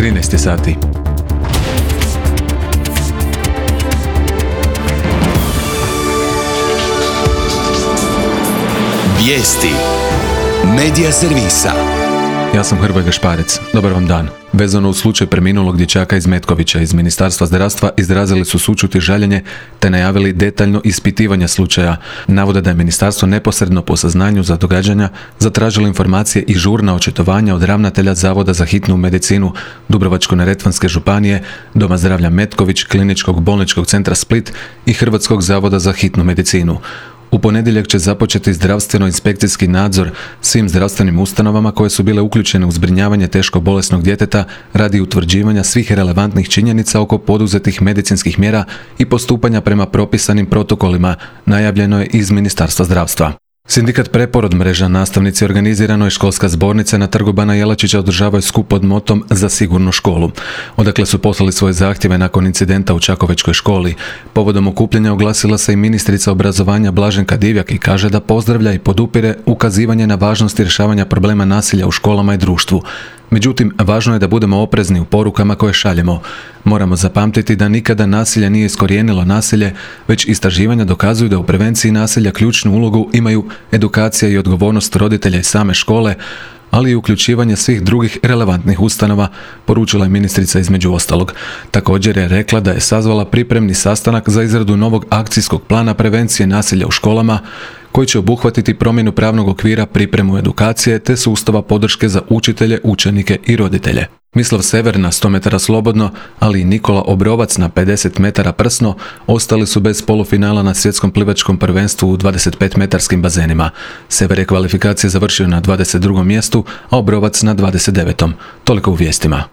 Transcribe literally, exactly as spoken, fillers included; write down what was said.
trinaest sati. Vijesti Medija servisa. Ja sam Hrvoje Gašparec. Dobar vam dan. Vezano u slučaj preminulog dječaka iz Metkovića iz Ministarstva zdravstva izrazili su sućut i žaljenje te najavili detaljno ispitivanje slučaja. Navode da je ministarstvo neposredno po saznanju za događanja zatražilo informacije i žurna očitovanja od ravnatelja Zavoda za hitnu medicinu Dubrovačko-neretvanske županije, Doma zdravlja Metković, Kliničkog bolničkog centra Split i Hrvatskog zavoda za hitnu medicinu. U ponedjeljak će započeti zdravstveno-inspekcijski nadzor svim zdravstvenim ustanovama koje su bile uključene u zbrinjavanje teško bolesnog djeteta radi utvrđivanja svih relevantnih činjenica oko poduzetih medicinskih mjera i postupanja prema propisanim protokolima, najavljeno je iz Ministarstva zdravstva. Sindikat Preporod mreža nastavnici organizirano je školska zbornica na Trgu Bana Jelačića održavaju skup pod motom Za sigurnu školu. Odakle su poslali svoje zahtjeve nakon incidenta u Čakovečkoj školi. Povodom okupljanja oglasila se i ministrica obrazovanja Blaženka Divjak i kaže da pozdravlja i podupire ukazivanje na važnost rješavanja problema nasilja u školama i društvu. Međutim, važno je da budemo oprezni u porukama koje šaljemo. Moramo zapamtiti da nikada nasilje nije iskorijenilo nasilje, već istraživanja dokazuju da u prevenciji nasilja ključnu ulogu imaju edukacija i odgovornost roditelja i same škole, ali i uključivanje svih drugih relevantnih ustanova, poručila je ministrica između ostalog. Također je rekla da je sazvala pripremni sastanak za izradu novog akcijskog plana prevencije nasilja u školama, koji će obuhvatiti promjenu pravnog okvira, pripremu edukacije te sustava podrške za učitelje, učenike i roditelje. Mislav Sever na sto metara slobodno, ali i Nikola Obrovac na pedeset metara prsno ostali su bez polufinala na svjetskom plivačkom prvenstvu u dvadeset pet metarskim bazenima. Sever je kvalifikacije završio na dvadeset drugom mjestu, a Obrovac na dvadeset devetom. Toliko u vijestima.